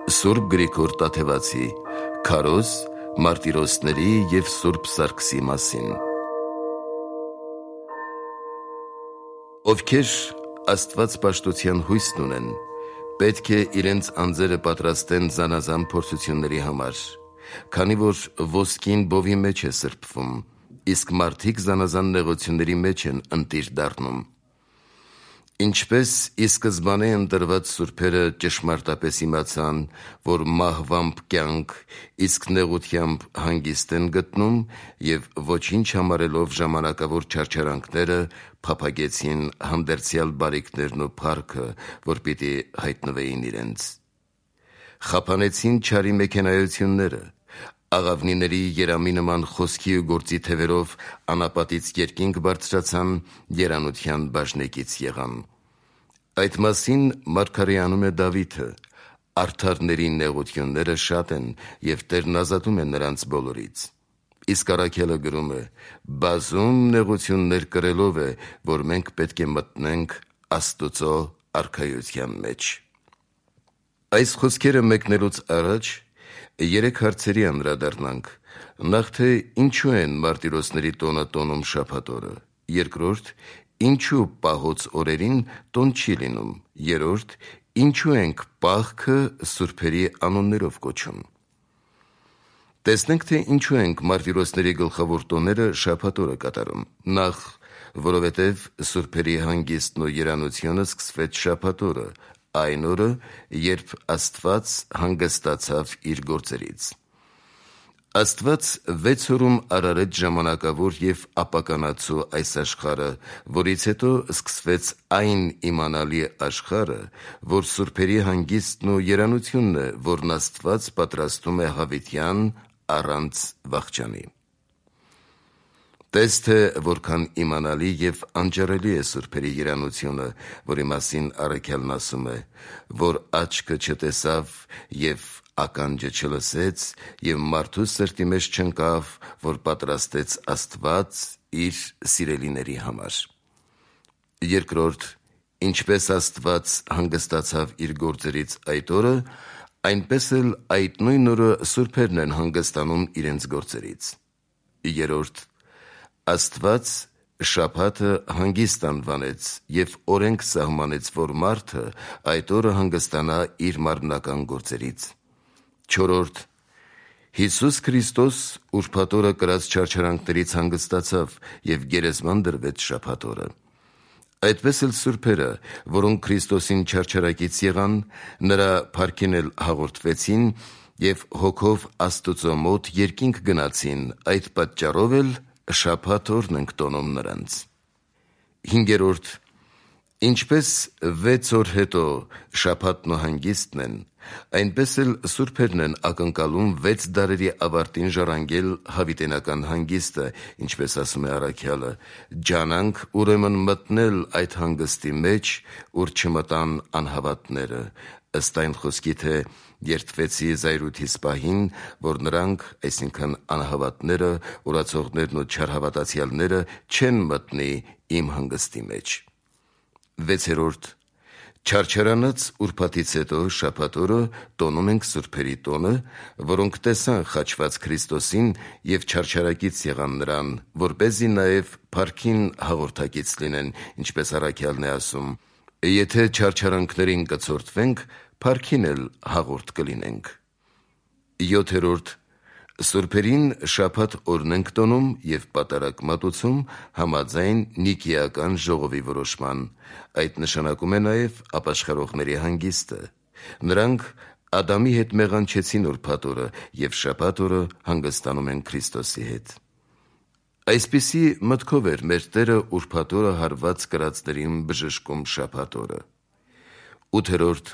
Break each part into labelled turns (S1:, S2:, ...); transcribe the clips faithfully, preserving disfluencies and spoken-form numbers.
S1: Սուրբ Գրիգոր Տաթևացի Քարոզ, մարտիրոսների և Սուրբ Սարգսի մասին։ Ովքեր աստվածպաշտության հույսն ունեն, պետք է իրենց անձերը պատրաստեն զանազան փորձությունների համար, քանի որ ոսկին բովի մեջ է սրբվում, իսկ մարդիկ զանազան նեղությունների մեջ են ընտիր դառնում։ Ինչպես ի սկզբանե ընտրված սուրբերը ճշմարտապես իմացան, որ մահվամբ կյանք, իսկ նեղությամբ հանգիստ են գտնում, և ոչինչ համարելով ժամանակավոր չարչարանքները, փափագեցին հանդերձյալ բարիքներն ու փառքը, որ պիտի հայտնվեին իրենց։ Խափանեցին չարի մեքենայությունները, աղավնիների երամի նման խոսքի ու գործի թևերով անապատից երկինք բարձրացան, երանության բաժնեկից եղան։ Այդ մասին մարգարեանում է Դավիթը. «Արդարների նեղությունները շատ են, և Տերն ազատում է նրանց բոլորից»։ Իսկ Առաքելը գրում է. «Բազում նեղություններ կրելով է, որ մենք պետք է մտնենք Աստծո արքայության մեջ»։ Այս խոսքերը մեկնելուց առաջ երեք հարցերի անդրադառնանք. Նախ թե ինչու են մարտիրոսների տոնը տոնում շաբաթ օրը, երկրորդ՝ ինչու պահոց օրերին տոն չի լինում, երրորդ՝ ինչու ենք Պաղքը սուրբերի անուններով կոչում։ Տեսնենք, թե ինչու ենք մարտիրոսների գլխավոր տոները շաբաթ օրը կատարում։ Նախ, որովհետև սուրբերի հանգիստն ու երանությունը սկսվեց շաբաթ օրը, այն օրը, երբ Աստված հանգստացավ իր գործերից։ Աստված վեց օրում արարեց ժամանակավոր և ապականացու այս աշխարհը, որից հետո սկսվեց այն իմանալի աշխարհը, որ սուրբերի հանգիստն ու երանությունն է, որն Աստված պատրաստում է հավիտյան առանց վախճանի։ Տես թե որքան իմանալի և անջարելի է սուրբերի երանությունը, որի մասին առաքյալն ասում է, որ աչքը չտեսավ և ականջը չլսեց, և մարդու սրտի մեջ չընկավ, որ պատրաստեց Աստված իր սիրելիների համար։ Երկրորդ, ինչպես Աստված հանգստացավ իր գործերից այդ օրը, այնպես էլ այդ նույն օրը սուրբերն են հանգստանում իրենց գործերից։ Երրորդ, Աստված շաբաթը հանգիստ անվանեց և օրենք սահմանեց, որ մարդը այդ օրը հանգստանա իր մարմնական գործերից։ Չորրորդ, Հիսուս Քրիստոս ուրբաթ օրը կրած չարչարանքներից հանգստացավ և գերեզման դրվեց շաբաթ օրը։ Այդպես էլ սուրբերը, որոնք Քրիստոսին չարչարակից եղան, նրա փառքին էլ հաղորդվեցին և հոգով Աստծո մոտ երկինք գնացին, այդ պատճառով էլ շաբաթ օրն ենք տոնում նրանց։ Հինգերորդ, ինչպես վեց օր հետո շաբաթն ու հանգիստն են, այնպես էլ սուրբերն են ակնկալում վեց դարերի ավարտին ժառանգել հավիտենական հանգիստը, ինչպես ասում է առաքյալը. «Ջանանք ուրեմն մտնել այդ հանգստի մեջ, ուր չմտան անհավատները», ըստ այն խոսքի, թե երդվեցի զայրույթիս պահին, որ նրանք, այսինքն անհավատները, ուռացողներն ու չարհավատացյալները, չեն մտնի իմ հանգստի մեջ։ Վեցերորդ, չարչարանած ուրբաթից հետո շաբաթ օրը տոնում ենք սուրբերի տոնը, որոնք տեսան խաչված Քրիստոսին և չարչարակից եղան նրան, որպեսզի նաև փառքին հաղորդակից լինեն, ինչպես առաքյալն է ասում. «Եթե չարչարանքներին կցորդվենք, փառքին էլ հաղորդ կլինենք»։ Յոթերորդ, սուրբերին շաբաթ օրն ենք տոնում և պատարագ մատուցում համաձայն Նիկեական ժողովի որոշման։ Այդ նշանակում է նաև ապաշխարողների հանգիստը։ Նրանք Ադամի հետ մեղանչեցին ուրբաթ օրը և շաբաթ օրը հանգստանում են Քրիստոսի հետ։ Այսպիսի մտքով էր մեր Տերը ուրբաթ օրը հարված կրածներին բժշկում շաբաթ օրը։ Ութերորդ,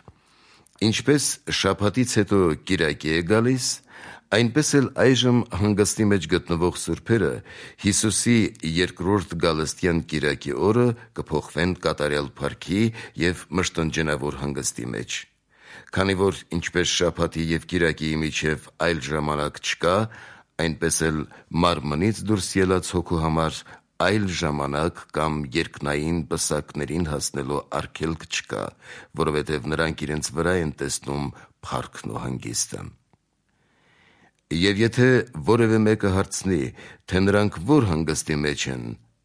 S1: ինչպես շաբաթից հետո կիրակի է գալիս, այնպես էլ այժմ հանգստի մեջ գտնվող սուրբերը Հիսուսի երկրորդ գալստյան կիրակի օրը կփոխվեն կատարյալ փառքի և մշտնջենավոր հանգստի մեջ։ Քանի որ ինչպես շաբաթի և կիրակիի միջև այլ ժամանակ չկա, այնպես էլ մարմնից դուրս ելած հոգու համար այլ ժամանակ կամ երկնային պսակներին հասնելու արգելք չկա, որովհետև նրանք իրենց վրա են տեսնում փառքն ու հանգիստը։ Եվ եթե որևէ մեկը հարցնի, թե նրանք որ հանգստի մեջ են,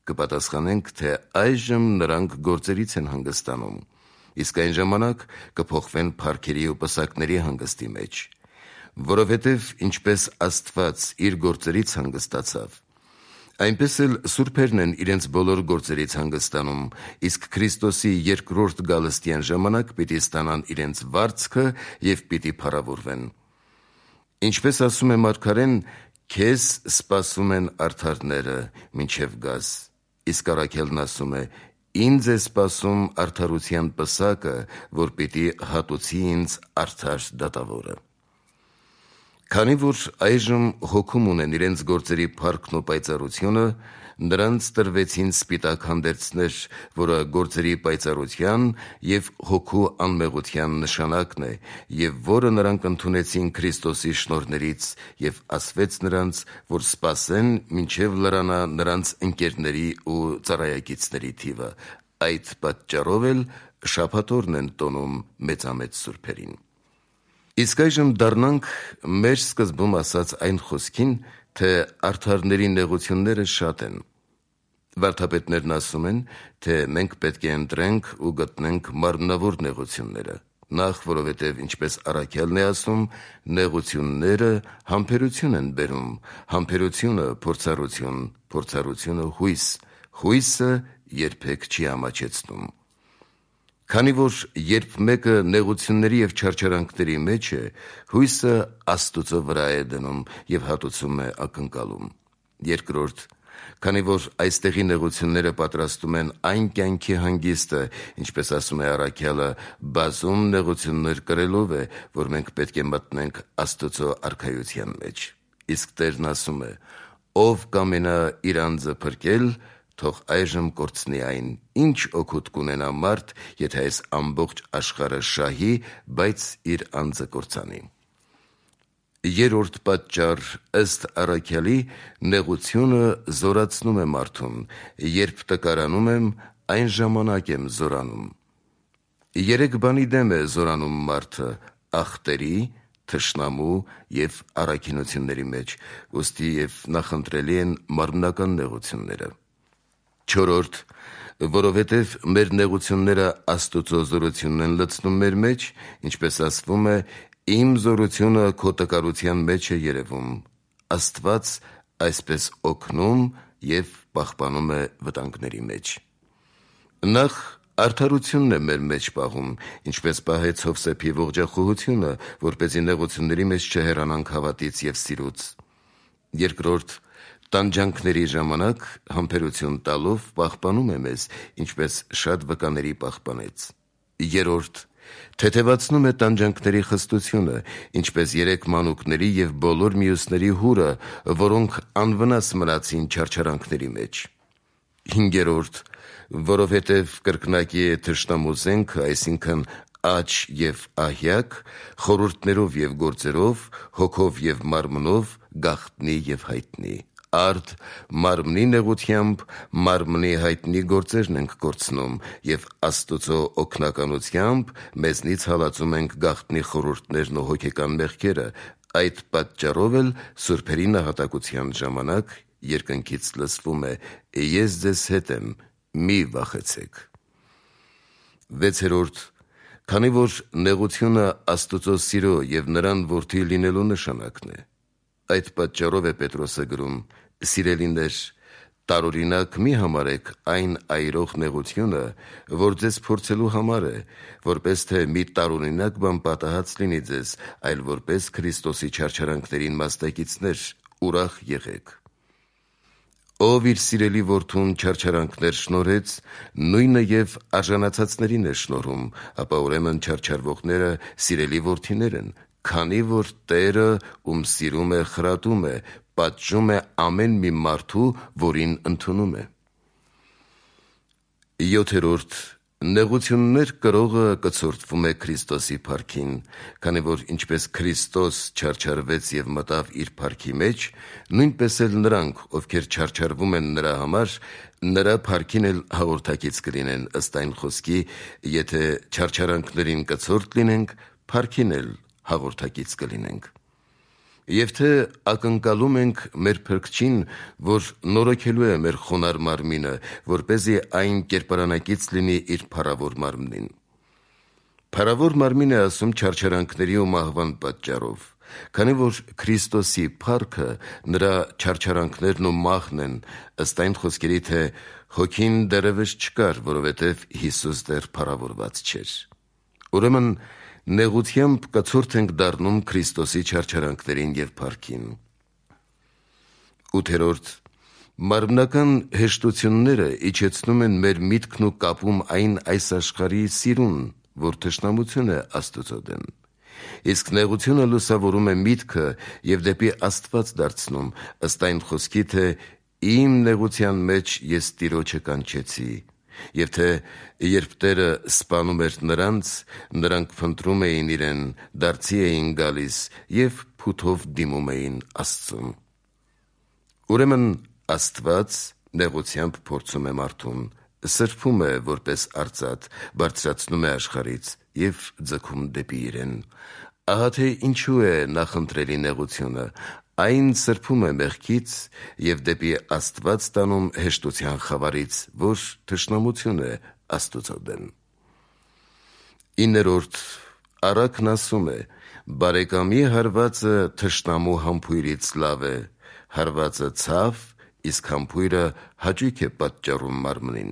S1: կպատասխանենք, թե այժմ նրանք գործերից են հանգստանում, իսկ այն ժամանակ կփոխվեն փառքերի ու պսակների հանգստի մեջ, որովհետև ինչպես Աստված իր գործերից հանգստացավ, այնպես էլ սուրբերն են իրենց բոլոր գործերից հանգստանում, իսկ Քրիստոսի երկրորդ գալստյան ժամանակ պիտի ստանան իրենց վարձքը և պիտի փառավորվեն։ Ինչպես ասում է մարգարեն, քեզ սպասում են արդարները մինչև գաս, իսկ առաքյալն ասում է, ինձ է սպասում արդարության պսակը, որ պիտի հատուցի ինձ արդար դատավորը։ Քանի որ այժմ հոգում ունեն իրենց գործերի փառքն ու պայծառությունը, նրանց տրվեցին սպիտակ հանդերձներ, որը գործերի պայծառության և հոգու անմեղության նշանակն է, և որը նրանք ընդունեցին Քրիստոսի շնորհներից, և ասվեց նրանց, որ սպասեն, մինչև լրանա նրանց ընկերների ու ծառայակիցների թիվը, այդ պատճառով էլ շաբաթօրն են տոնում մեծամեծ սուրբերին։ Իսկ այժմ դառնանք մեր սկզբում ասած այն խոսքին, թե արդարների նեղությունները շատ են։ Վարդապետներն ասում են, թե մենք պետք է ընտրենք ու գտնենք մարմնավոր նեղությունները, նախ որովհետև ինչպես առաքյալն է ասում, նեղությունները համբերություն են բերում, համբերությունը փորձառություն, փորձառությունը հույս, հույսը երբեք չի ամաչեցնում։ Քանի որ երբ մեկը նեղությունների և չարչարանքների մեջ է, հույսը Աստուծո վրա է դնում և հատուցում է ակնկալում։ Երկրորդ, քանի որ այստեղի նեղությունները պատրաստում են այն կյանքի հանգիստը, ինչպես ասում է առաքյալը, բազում նեղություններ կրելով է, որ մենք պետք է մտնենք Աստուծո արքայության մեջ։ Իսկ Տերն ասում է. «Ով կամենա իր անձը փրկել, թող այժմ կորցնի այն, ինչ օգուտ կունենա մարդ, եթե այս ամբողջ աշխարհը շահի, բայց իր անձը կորցանի»։ Երրորդ պատճառ ըստ առաքյալի, նեղությունը զորացնում է մարդուն, երբ տկարանում եմ, այն ժամանակ եմ զորանում։ Երեք բանի դեմ է զորանում մարդը՝ ախտերի, թշնամու և առաքինությունների մեջ, ուստի և նախընտրելի են մարմնական նեղությունները։ Չորրորդ, որովհետև մեր նեղությունները Աստուծո զորությունն են լցնում մեր մեջ, ինչպես ասվում է, իմ զորությունը քո տկարության մեջ է երևում։ Աստված այսպես օգնում և պահպանում է վտանգների մեջ։ Նախ արդարությունն է մեր մեջ պահում, ինչպես պահեց Հովսեփի ողջախոհությունը, որպեսզի նեղությունների մեջ չհեռանանք հավատից և սիրուց։ Երկրորդ, տանջանքների ժամանակ համբերություն տալով պահպանում է մեզ, ինչպես շատ վկաների պահպանեց։ Երրորդ, թեթևացնում է տանջանքների խստությունը, ինչպես երեք մանուկների և բոլոր մյուսների հուրը, որոնք անվնաս մնացին չարչարանքների մեջ։ Հինգերորդ, որովհետև կրկնակի է թշնամու զենքը, այսինքն աջ և ահյակ, խորհուրդներով և գործերով, հոգով և մարմնով, գաղտնի և հայտնի։ Արդ մարմնի նեղությամբ մարմնի հայտնի գործերն ենք կորցնում և Աստուծո օգնականությամբ մեզնից հալածում ենք գաղտնի խորհուրդներն ու հոգեկան մեղքերը, այդ պատճառով էլ սուրբերի նահատակության ժամանակ երկնքից լսվում է. «Ես ձեզ հետ եմ, մի վախեցեք»։ Վեցերորդ, քանի որ նեղությունը Աստուծո սիրո և նրան որդի լինելու նշանակն է, այդ պատճառով է Պետրոսը գրում. «Սիրելիներ, տարօրինակ մի համարեք այն այրող նեղությունը, որ ձեզ փորձելու համար է, որպես թե մի տարօրինակ բան պատահած լինի ձեզ, այլ որպես Քրիստոսի չարչարանքներին մասնակիցներ, ուրախ եղեք»։ Ով իր սիրելի որդուն չարչարանքներ շնորհեց, նույնը և արժանացածներին է շնորհում, ապա ուրեմն չարչարվողները սիրելի որդիներ են, քանի որ Տերը, ում սիրում է, խրատում է, պատժում է ամեն մի մարդու, որին ընդունում է։ Յոթերորդ, նեղություններ կրողը կցորդվում է Քրիստոսի փառքին, քանի որ ինչպես Քրիստոս չարչարվեց և մտավ իր փառքի մեջ, նույնպես էլ նրանք, ովքեր չարչարվում են նրա համար, նրա փառքին էլ հաղորդակից կլինեն, ըստ այն խոսքի. «Եթե չարչարանքներին կցորդ լինենք, փառքին էլ հաղորդակից կլինենք։ Եվ թե ակնկալում ենք մեր Փրկչին, որ նորոգելու է մեր խոնար մարմինը, որպեսզի այն կերպարանակից լինի իր փառավոր մարմնին։ Փառավոր մարմին է ասում չարչարանքների ու մահվան պատճառով, քանի որ Քրիստոսի փառքը նրա չարչարանքներն ու մահն են, ըստ այն խոսքերի, թե հոգին դեռևս չկար, որովհետև Հիսուս դեռ փառավորված չէր։ Ուրեմն նեղությամբ կցորդ ենք դառնում Քրիստոսի չարչարանքներին և փառքին։ ութերորդ Մարմնական հեշտությունները իջեցնում են մեր միտքն ու կապում այն այս աշխարհի սիրուն, որ թշնամություն է Աստծո դեմ։ Իսկ նեղությունը լուսավորում է միտքը և դեպի Աստված դարձնում, ըստ այն խոսքի, թե իմ նեղության մեջ ես Տիրոջը կանչեցի, և թե երբ Տերը սպանում էր նրանց, նրանք փնտրում էին իրեն, դարձի էին գալիս և փութով դիմում էին Աստծուն։ Ուրեմն Աստված նեղությամբ փորձում է մարդուն, սրբում է որպես արծաթ, բարձրացնում է աշխարհից և ձգում դեպի իրեն։ Ահա թե ինչու է նախընտրելի նեղությունը, այն սրբում է մեղքից և դեպի Աստված տանում հեշտության խավարից, որ թշնամություն է Աստծո դեմ։ իններորդ Առակն ասում է. բարեկամի հարվածը թշնամու համբույրից լավ է, հարվածը ցավ, իսկ համբույրը հաճույք է պատճառում մարմնին։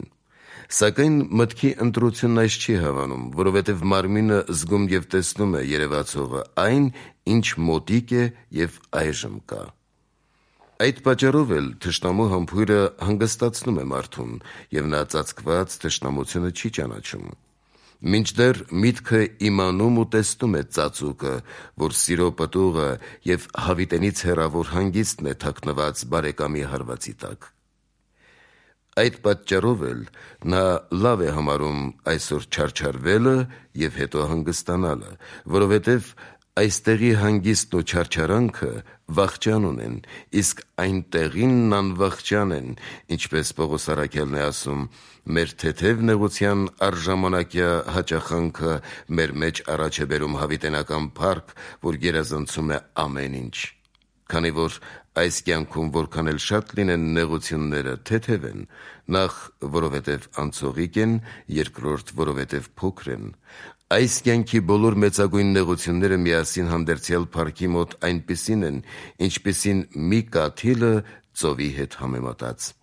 S1: Սակայն մտքի ընտրությունն այս չի հավանում, որովհետև մարմինը զգում և տեսնում է երևացողը, այն, ինչ մոտիկ է և այժմ կա։ Այդ պատճառով էլ թշնամու համբույրը հանգստացնում է մարդուն, և նա ծածկված թշնամությունը չի ճանաչում։ Մինչդեռ միտքը իմանում ու տեսնում է ծածուկը, որ սիրո պտուղը և հավիտենից հեռավոր հանգիստն է թաքնված բարեկամի հարվածի տակ։ Այդ պատճառով էլ նա լավ է համարում այսօր չարչարվելը և հետո հանգստանալը, որովհետև այստեղի հանգիստն ու չարչարանքը վախճան ունեն, իսկ այնտեղինն անվախճան են, ինչպես Պողոս առաքյալն է ասում. մեր թեթև նեղության առժամանակյա հաճախանքը մեր մեջ առաջ է բերում հավիտենական փառք, որ գերազանցում է ամեն ինչ։ Քանի որ այս կյանքում որքան էլ շատ լինեն նեղությունները, թեթև են, նախ որովհետև անցողիկ են, երկրորդ որովհետև փոքր են։ Այս կյանքի բոլոր մեծագույն նեղությունները միասին հանդերձյալ փառքի մոտ այնպիսին են, ինչպիսին մի կաթիլը ծովի հետ համեմատած։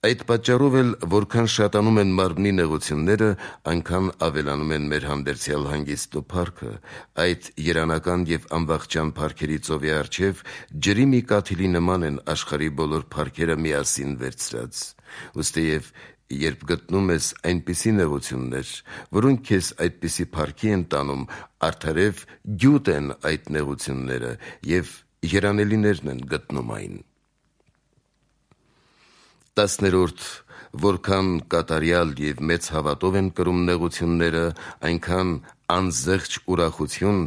S1: Այդ պատճառով էլ որքան շատանում են մարմնի նեղությունները, այնքան ավելանում են մեր հանդերձյալ հանգիստն ու փառքը, այդ երանական և անվախճան փառքերի ծովի առջև ջրի մի կաթիլի նման են աշխարհի բոլոր փառքերը միասին վերցրած։ Ուստիև երբ գտնում ես այնպիսի նեղություններ, որոնք քեզ այդպիսի փառքի են տանում, արդարև գյուտ են այդ նեղությունները և երանելիներն են գտնում այն։ Տասներորդ Որքան կատարյալ և մեծ հավատով են կրում նեղությունները, այնքան անզեղչ ուրախություն,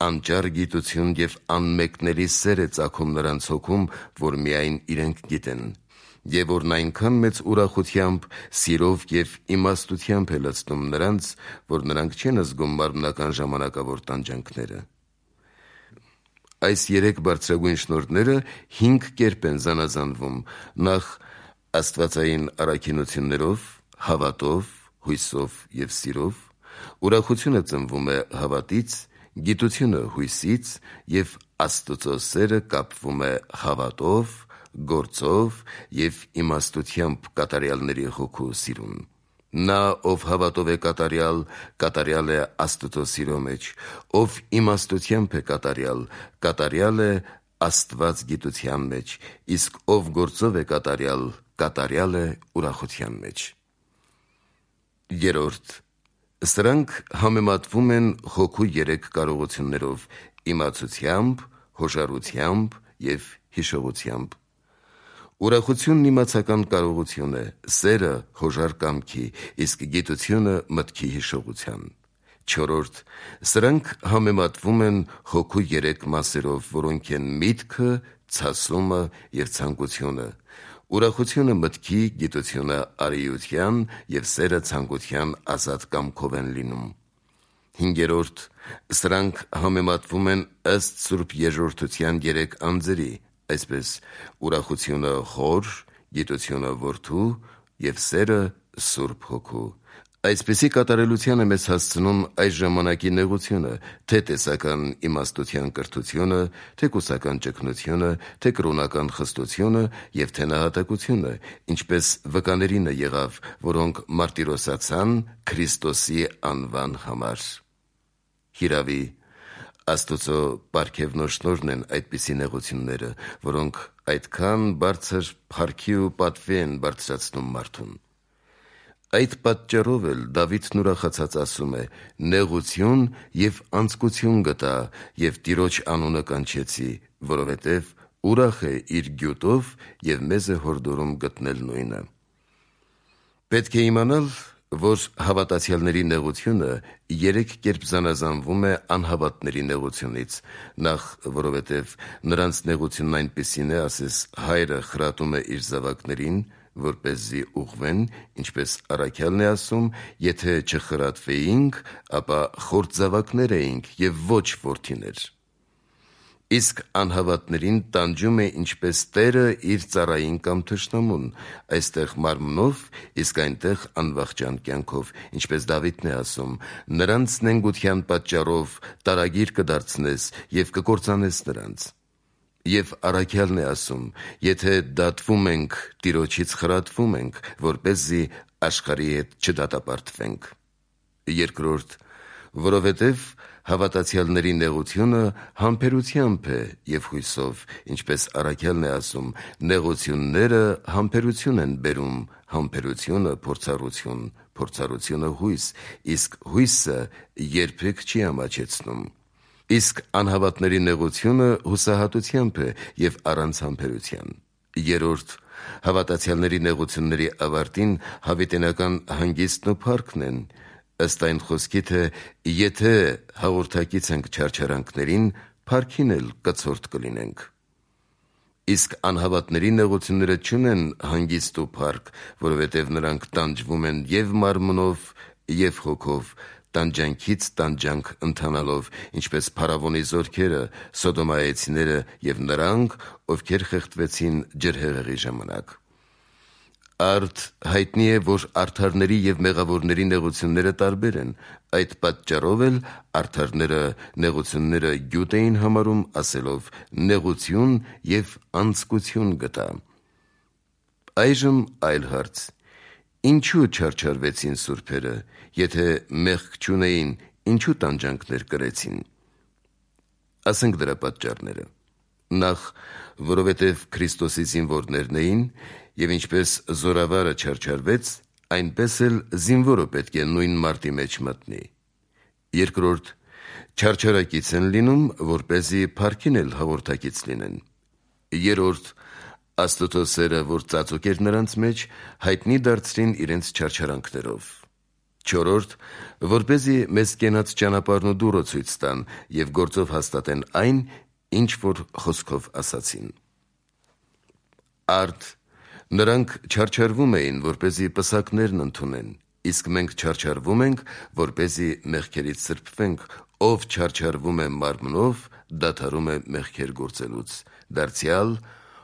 S1: անճար գիտություն և անմեկնելի սեր է ծագում նրանց հոգում, որ միայն իրենք գիտեն, և որն այնքան մեծ ուրախությամբ, սիրով և իմաստությամբ է լցնում նրանց, որ նրանք չեն զգում մարմնական ժամանակավոր տանջանքները։ Այս երեք բարձրագույն շնորհները հինգ կերպ են զանազանվում. նախ աստվածային առաքինություններով, հավատով, հույսով և սիրով, ուրախությունը ծնվում է հավատից, գիտությունը հույսից և Աստծո սերը կապվում է հավատով, գործով և իմաստությամբ կատարյալների հոգու սիրուն։ Նա, ով հավատով է կատարյալ, կատարյալ է Աստծո սիրո մեջ, ով իմաստությամբ է կատարյալ, կատարյալ է Աստված գիտության մեջ, իսկ ով գործով է կատարյալ, կատարյալ է ուրախության մեջ։ Երորդ Սրանք համեմատվում են հոգու երեք կարողություններով՝ իմացությամբ, հոժարությամբ և հիշողությամբ։ Ուրախությունն իմացական կարողություն է, սերը հոժար կամքի, իսկ գիտությունը մտքի հիշողության։ Չորրորդ Սրանք համեմատվում են հոգու երեք մասերով, որոնք են միտքը, ցասումը և ցանկությունը։ Ուրախությունը մտքի, գիտությունը արիության և սերը ցանկության ազատ կամքով են լինում։ Հինգերորդ. Սրանք համեմատվում են ըստ Սուրբ Երկրորդության երեք անձերի, այսպես ուրախությունը Հոր, գիտությունը Որդու և սերը Սուրբ Հոգու։ Այսպիսի կատարելության է մեզ հասցնում այս ժամանակի նեղությունը, թե տեսական իմաստության կրթությունը, թե կուսական ճգնությունը, թե կրոնական խստությունը և թե նահատակությունը, ինչպես վկաներինը եղավ, որոնք մարտիրոսացան Քրիստոսի անվան համար։ Հիրավի, Աստծո պարգևն ու շնորհն են այդպիսի նեղությունները, որոնք այդքան բարձր փառքի ու պատվի են բարձրացնում մարդուն։ Այդ պատճառով էլ Դավիթն ուրախացած ասում է. «Նեղություն և անձկություն գտա և Տիրոջ անունը կանչեցի, որովհետև ուրախ է իր գյուտով և մեզ է հորդորում գտնել նույնը»։ Պետք է իմանալ, որ հավատացյալների նեղությունը երեք կերպ զանազանվում է անհավատների նեղությունից, նախ, որովհետև նրանց նեղությունն այնպիսին է, ասես հայրը խրատում է իր զավակներին, որպեսզի ուղղվեն, ինչպես առաքյալն է ասում. «Եթե չխրատվեինք, ապա խորտ զավակներ էինք և ոչ որդիներ»։ Իսկ անհավատներին տանջում է ինչպես Տերը իր ծառային կամ թշնամուն, այստեղ մարմնով, իսկ այնտեղ անվախճան կյանքով, ինչպես Դավիթն է ասում. «Նրանց նենգության պատճառով տարագիր կդարձնես և կկործանես նրանց»։ Եվ առաքյալն է ասում. «Եթե դատվում ենք, Տիրոջից խրատվում ենք, որպեսզի աշխարհի հետ չդատապարտվենք»։ Երկրորդ. որովհետև հավատացյալների նեղությունը համբերությամբ է և հույսով, ինչպես առաքյալն է ասում. «Նեղությունները համբերություն են բերում, համբերությունը փորձառություն, փորձառությունը հույս, իսկ հույսը երբեք չի ամաչեցնում»։ Իսկ անհավատների նեղությունը հուսահատությամբ է և առանց համբերության։ Երրորդ. հավատացյալների նեղությունների ավարտին հավիտենական հանգիստն ու փառքն են, ըստ այն խոսքի, թե եթե հաղորդակից ենք չարչարանքներին, փառքին էլ կցորդ կլինենք։ Իսկ անհավատների նեղությունները չունեն հանգիստ ու փառք, որովհետև նրանք տանջվում են և մարմնով, և հոգով, տանջանքից տանջանք ընթանալով, ինչպես փարավոնի զորքերը, սոդոմայեցիները և նրանք, ովքեր խեղդվեցին ջրհեղեղի ժամանակ։ Արդ հայտնի է, որ արդարների և մեղավորների նեղությունները տարբեր են, այդ պատճառով էլ արդարները նեղությունները գյուտ էին համարում, ասելով. «Նեղություն և անձկություն գտա»։ Այժմ այլ հարց. ինչու չարչարվեցին սուրբերը, եթե մեղք չունեին, ինչու տանջանքներ կրեցին։ Ասենք դրա պատճառները. Նախ, որովհետև Քրիստոսի զինվորներն էին, և ինչպես զորավարը չարչարվեց, այնպես էլ զինվորը պետք է նույն մարտի մեջ մտնի։ Երկրորդ, չարչարակից են լինում, որպեսզի փառքին էլ հաղորդակից լինեն։ Երրորդ, Աստծո սերը, որ ծածուկ էր նրանց մեջ, հայտնի դարձրին իրենց չարչարանքներով։ Չորրորդ, որպեսզի մեզ կենաց ճանապարհն ու դուռը ցույց տան և գործով հաստատեն այն, ինչ որ խոսքով ասացին։ Արդ նրանք չարչարվում էին, որպեսզի պսակներն ընդունեն, իսկ մենք չարչարվում ենք, որպեսզի մեղքերից սրբվենք, ով չարչարվում է մարմնով, դադարում է մեղքեր գործելուց, դարձյալ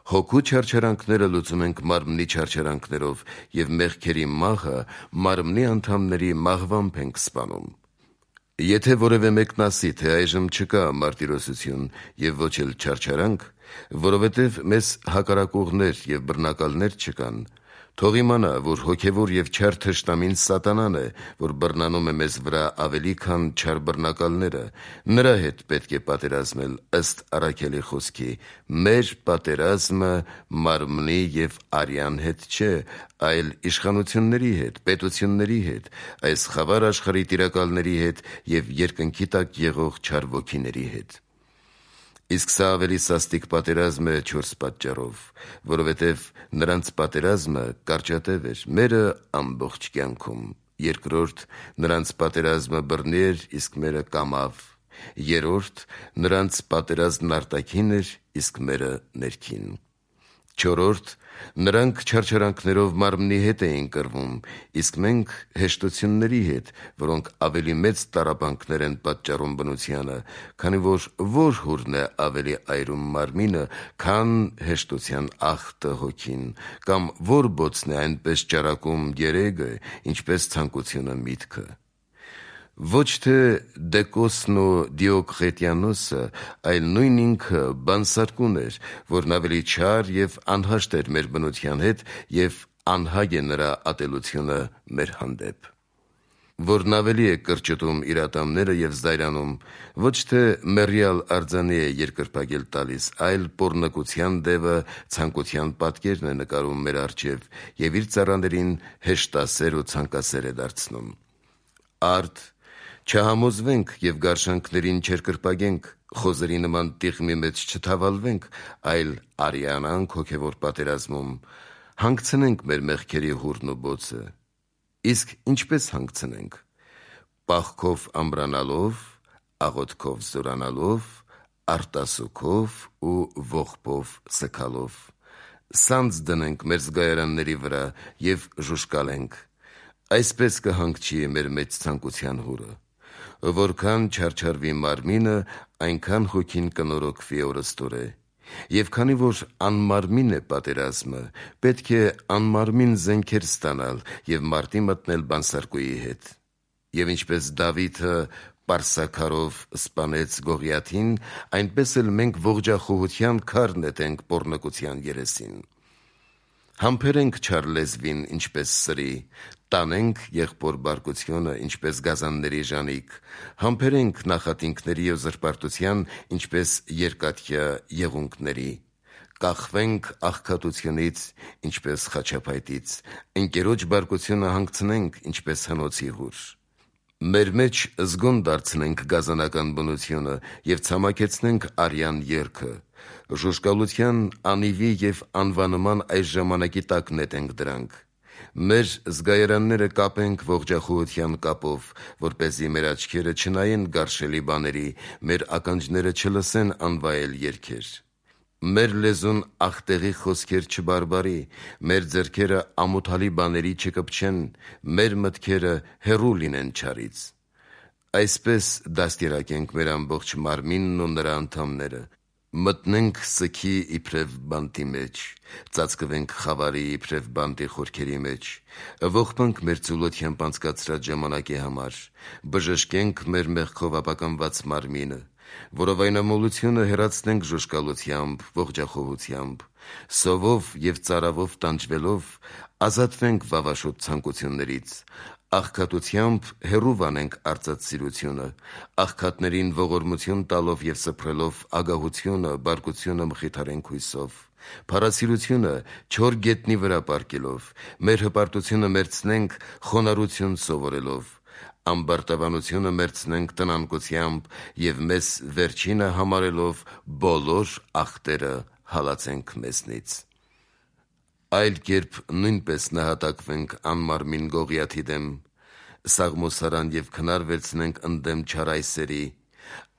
S1: հոգու չարչարանքները լուծում ենք մարմնի չարչարանքներով և մեղքերի մահը մարմնի անդամների մահվամբ ենք սպանում։ Եթե որևէ մեկն ասի, թե այժմ չկա մարտիրոսություն և ոչ էլ չարչարանք, որովհետև մեզ հակառակողներ և բռնակալներ չկան, թող իմանա, որ հոգևոր և չար թշնամին Սատանան է, որ բռնանում է մեզ վրա ավելի, քան չար բռնակալները, նրա հետ պետք է պատերազմել ըստ առաքյալի խոսքի. «Մեր պատերազմը մարմնի և արյան հետ չէ, այլ իշխանությունների հետ, պետությունների հետ, այս խավար աշխարհի տիրակալների հետ և երկնքի տակ եղող չար ոգիների հետ»։ Իսկ սա ավելի սաստիկ պատերազմ է չորս պատճառով, որովհետև նրանց պատերազմը կարճատև էր, մերը ամբողջ կյանքում։ Երկրորդ, նրանց պատերազմը բռնի էր, իսկ մերը կամավ։ Երրորդ, նրանց պատերազմն արտաքին էր, իսկ մերը ներքին։ Չորրորդ. նրանք չարչարանքներով մարմնի հետ էին կռվում, իսկ մենք հեշտությունների հետ, որոնք ավելի մեծ տառապանքներ են պատճառում բնությանը, քանի որ որ հուրն է ավելի այրում մարմինը, քան հեշտության ախտը հոգին, կամ որ բոցն է այնպես ճարակում երեգը, ինչպես ցանկությունը միտքը։ Ոչ թե Դեկոսն ու Դիոկղետիանոսը, այլ նույն ինքը բանսարկուն էր, որն ավելի չար և անհաշտ էր մեր բնության հետ և անհագ է նրա ատելությունը մեր հանդեպ, որն ավելի է կրճտում իր ատամները և զայրանում, ոչ թե մեռյալ արձանի է երկրպագել տալիս, այլ պոռնկության դևը ցանկության պատկերն է նկարում մեր առջև և իր ծառաներին հեշտասեր ու ցանկասեր է դարձնում։ Արդ, չհամոզվենք և գարշանքներին չերկրպագենք, խոզերի նման տիղմի մեջ չթավալվենք, այլ արիանանք հոգևոր պատերազմում, հանգցնենք մեր մեղքերի հուրն ու բոցը։ Իսկ ինչպես հանգցնենք։ Պաղքով ամրանալով, աղոթքով զորանալով, արտասուքով ու ողբով սգալով։ Սանձ դնենք մեր զգայարանների վրա և ժուժկալենք։ Այսպես կհանգչի մեր մեծ ցանկության հուրը։ Որքան չարչարվի մարմինը, այնքան հոգին կնորոգվի օրըստօրե։ Եվ քանի որ անմարմին է պատերազմը, պետք է անմարմին զենքեր ստանալ և մարտի մտնել բանսարկուի հետ։ Եվ ինչպես Դավիթը պարսաքարով սպանեց Գողիաթին, այնպես էլ մենք ողջախոհության քար նետենք պոռնկության երեսին։ Համբերենք չար լեզվին, ինչպես սրի, տանենք եղբոր բարկությունը, ինչպես գազանների ժանիք, համբերենք նախատինքների ու զրպարտության, ինչպես երկաթյա եղունգների, կախվենք աղքատությունից, ինչպես խաչափայտից, ընկերոջ բարկությունը հանգցնենք, ինչպես հնոցի հուր։ Մեր մեջ զգոն դարձնենք գազանական բնությունը և ցամաքեցնենք արյան երգը, ժուժկալության անիվի և անվանման այս ժամանակի տակ նետենք դրանք։ Մեր զգայարանները կապենք ողջախոհության կապով, որպեսզի մեր աչքերը չնայեն գարշելի բաների, մեր ականջները չլսեն անվայել երգեր։ Մեր լեզուն աղտեղի խոսքեր չբարբարի, մեր ձեռքերը ամոթալի բաների չկպչեն, մեր մտքերը հեռու լինեն չարից։ Այսպես դաստիարակենք մեր ամբողջ մարմինն ու նրա անդամները, մտնենք սգի իբրև բանտի մեջ, ծածկվենք խավարի իբրև բանտի խորքերի մեջ, ողբանք մեր ծուլությամբ անցկացրած ժամանակի համար, բժշկենք մեր մեղքով ապականված մարմինը, որովայնամոլությունը հեռացնենք ժուժկալությամբ, ողջախոհությամբ, սովով և ծարավով տանջվելով ազատվենք վավաշոտ ցանկություններից, աղքատությամբ հեռու վանենք արծաթսիրությունը, աղքատներին ողորմություն տալով և սփռելով ագահությունը, բարկությունը մխիթարենք հույսով, փառասիրությունը չոր գետնի վրա պառկելով, մեր հպարտությունը մերցնենք խոնարհություն սովորելով, ամբարտավանությունը մերցնենք տնանկությամբ և մեզ վերջինը համարելով բոլոր ախտերը հալածենք մեզնից։ Այլ կերպ նույնպես նահատակվենք անմարմին Գողիաթի դեմ, սաղմոսարան և քնար վերցնենք ընդդեմ չար այսերի,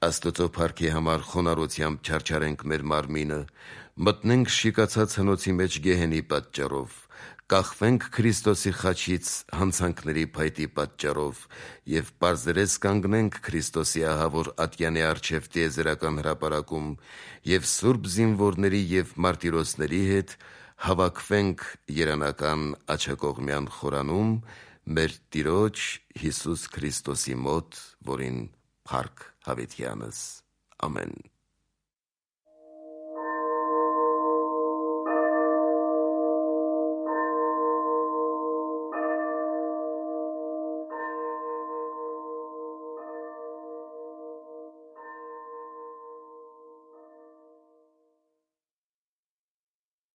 S1: Աստծո փառքի համար խոնարհությամբ չարչարենք մեր մարմինը, մտնենք շիկացած հնոցի մեջ գեհենի պատճառով, կախվենք Քրիստոսի խաչից հանցանքների փայտի պատճառով և պարզերես կանգնենք Քրիստոսի ահավոր ատյանի առջև տիեզերական հրապարակում և սուրբ զինվորների և մարտիրոսների հետ հավաքվենք երանական աջակողմյան խորանում մեր Տիրոջ Հիսուս Քրիստոսի մոտ, որին փառք հավիտյանս։ Ամեն։